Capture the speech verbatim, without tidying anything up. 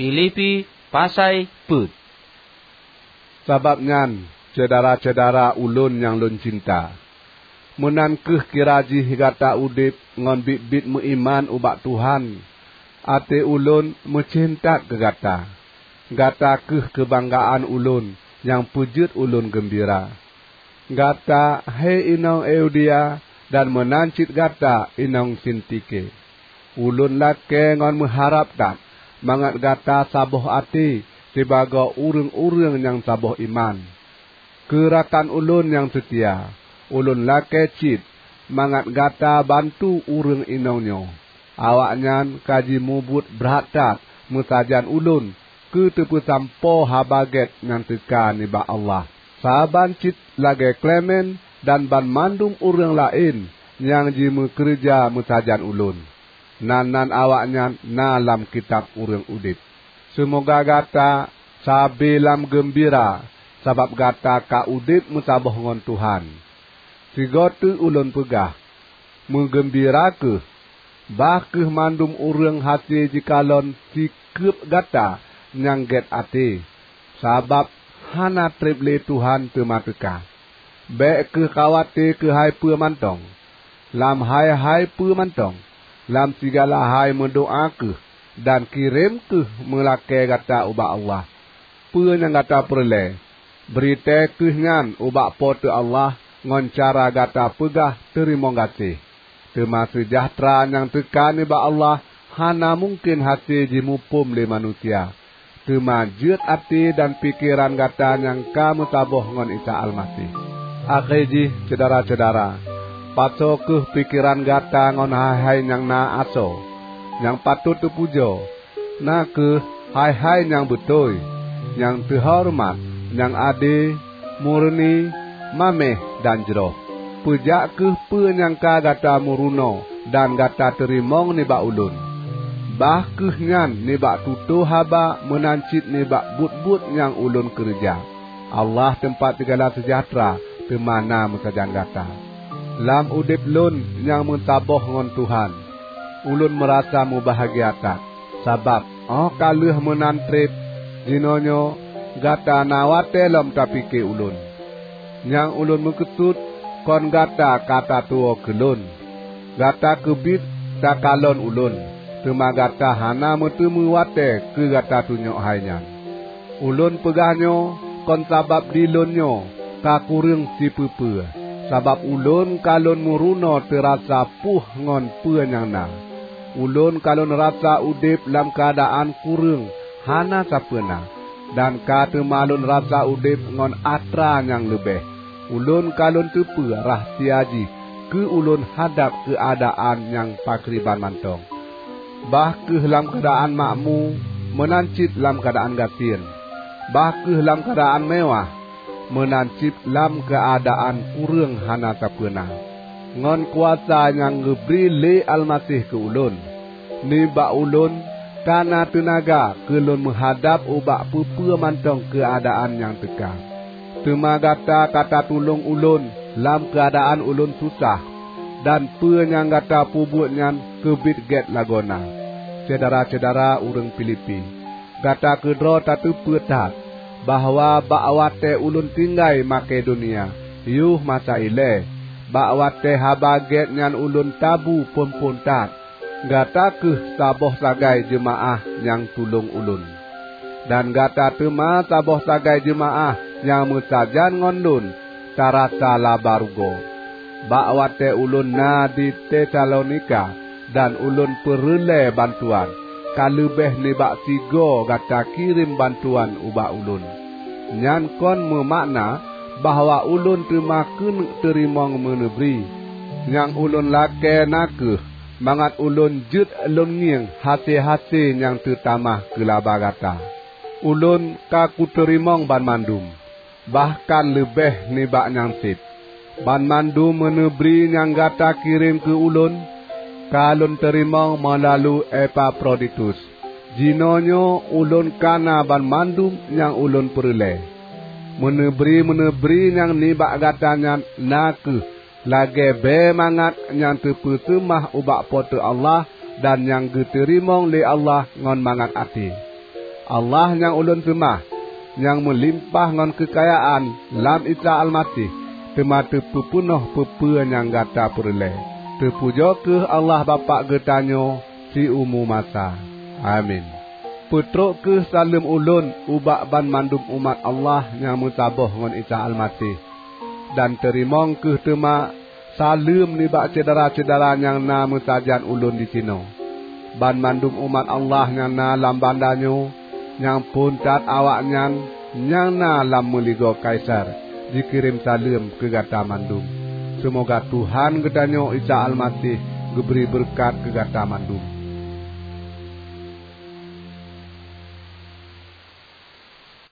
Filipi pasai peuet. Sabab nyan, syedara-syedara ulôn nyang lôn cinta, meunan kheueh kira jih gata udeb ngon biet-biet meuiman ubak Tuhan. Até ulôn meucen that keu gata. Gata kheueh keubanggaan ulôn nyang peujeuet ulôn geumbira. Gata, he inong Euodia, dan meunan cit gata, inong Sintike. Ulôn lakée ngon meuharab that mangat gata saboh até sibagoe ureuëng-ureuëng nyang saboh iman. Keu rakan ulôn nyang seutia, ulôn lakée cit mangat gata bantu ureuëng inong nyoe. Awaknyan ka jimubuet brat that meusajan ulôn keu teupeusampoe Haba Gét nyang teuka nibak Allah. Saban cit lagée Klemen dan banmandum ureuëng laén nyang jimeukeureuja meusajan ulôn. Nan-nan awaknyan na lam kitab ureuëng udeb. Seumoga gata sabe lam geumbira sabab gata ka udeb meusaboh ngon Tuhan. Sigoe teuk ulôn peugah, meugeumbira kheueh, bah kheueh mandum ureuëng hase jikalon sikeub gata nyang gét até, sabab hana treb lé Tuhan teuma teuka. Bék kheueh khawate keuhai peue mantong. Lam hai-hai peue mantong, lam sigala hai meudoá kheueh dan kirém kheueh meulakée gata ubak Allah. Peue nyang gata peureulée, bri tée kheueh nyan ubak Po teu Allah ngon cara gata peugah teurimong gaséh. Teuma seujahteura nyang teuka nibak Allah hana mungken hase jimuphom lé manusia. Teuma jeuet até dan pikeran gata nyang ka meusaboh ngon Isa Almaseh. Akhé jih, syedara-syedara, pasoe kheueh pikeran gata ngon hai-hai nyang na asoe, nyang patot teupujoe, na kheueh hai-hai nyang beutôi, nyang teuhoreumat, nyang ade, murni, maméh, dan jroh. Peujak kheueh peue nyang ka gata meurunoe dan gata teurimong nibak ulôn, bah kheueh nyan nibak tutoe haba meunan cit nibak buet-buet nyang ulôn keureuja. Allah teumpat sigala seujahteura teuma na meusajan gata. Lam udeb lôn nyang meusaboh ngon Tuhan, ulôn meurasa mubahgia that, sabab óh ka lheueh meunan treb, jinoenyoe gata na watée lom tapike ulôn. Nyang ulôn meukeusut kon gata ka tatuwoe keu lôn. Gata keubiet takalon ulôn, teuma gata hana meuteumé watée keu gata tunyok hai nyan. Ulôn peugah nyoe kon sabab di lôn nyoe ka kureueng sipeue-peue, sabab ulôn ka lôn meurunoe teurasa puih ngon peue nyang na. Ulôn ka lôn rasa udeb lam keuadaan kureueng hana sapeue na, dan ka teuma lôn rasa udeb ngon atra nyang leubeh. Ulôn ka lôn teupeue rahsia jih keu ulôn hadab keuadaan nyang pakriban mantong. Bah kheueh lam keuadaan makmu, meunan cit lam keuadaan gasien. Bah kheueh lam keuadaan meuwáh, meunan cit lam keuadaan kureueng hana sapeue na. Ngon kuasa nyang geubri lé Almaseh keu ulôn, nibak ulôn ka na teunaga keu lôn meuhadab ubak peue-peue mantong keuadaan nyang teuka. Teuma gata ka tatulông ulôn lam keuadaan ulôn susah, dan peue nyang gata peubuet nyan keubiet gét lagoena. Syedara-syedara ureuëng Filipi, gata keudroe tateupeue that bahwa bak watée ulôn tinggai Makedonia yoh masa ilée, bak watée Haba Gét nyan ulôn tabu phon-phon that, gata kheueh saboh sagai jeumaáh nyang tulông ulôn. Dan gata teuma saboh sagai jeumaáh nyang meusajan ngon lôn tarasa laba rugoe. Bak watée ulôn na di Tesalonika dan ulôn peureulée bantuan, ka leubeh nibak sigoe gata kirém bantuan ubak ulôn. Nyan kon meumakna bahwa ulôn teuma keuneuk teurimong meuneubri. Nyang ulôn lakée na kheueh mangat ulôn jeuet lôn ngieng hase-hase nyang teutamah keu laba gata. Ulôn ka kuteurimong banmandum, bahkan leubeh nibak nyang seb. Banmandum meuneubri nyang gata kirém keu ulôn, ka lôn teurimong meulalu Epafroditus. Jinoenyoe ulôn ka na banmandum nyang ulôn peureulée. Meuneubri-meuneubri nyang nibak gata nyan na kheueh lagée bée mangat nyang teupeuseumah ubak Po teu Allah dan nyang geuteurimong lé Allah ngon mangat até. Allah nyang ulôn seumah, nyang meulimpah ngon keukayaan lam Isa Almaseh, teuma teupeupeunoh peue-peue nyang gata peureulée. Teupujoe kheueh Allah Bapak geutanyoe siumu masa. Amin. Peutrok kheueh saleuem ulôn ubak banmandum umat Allah nyang meusaboh ngon Isa Almaseh. Dan teurimong kheueh teuma saleuem nibak syedara-syedara nyang na meusajan ulôn disinoe. Banmandum umat Allah nyang na lam banda nyoe, nyang phon that awaknyan nyang na lam meuligoe Kaisar, jikirém saleuem keu gata mandum. Seumoga Tuhan geutanyoe Isa Almaseh geubri beureukat keu gata mandum.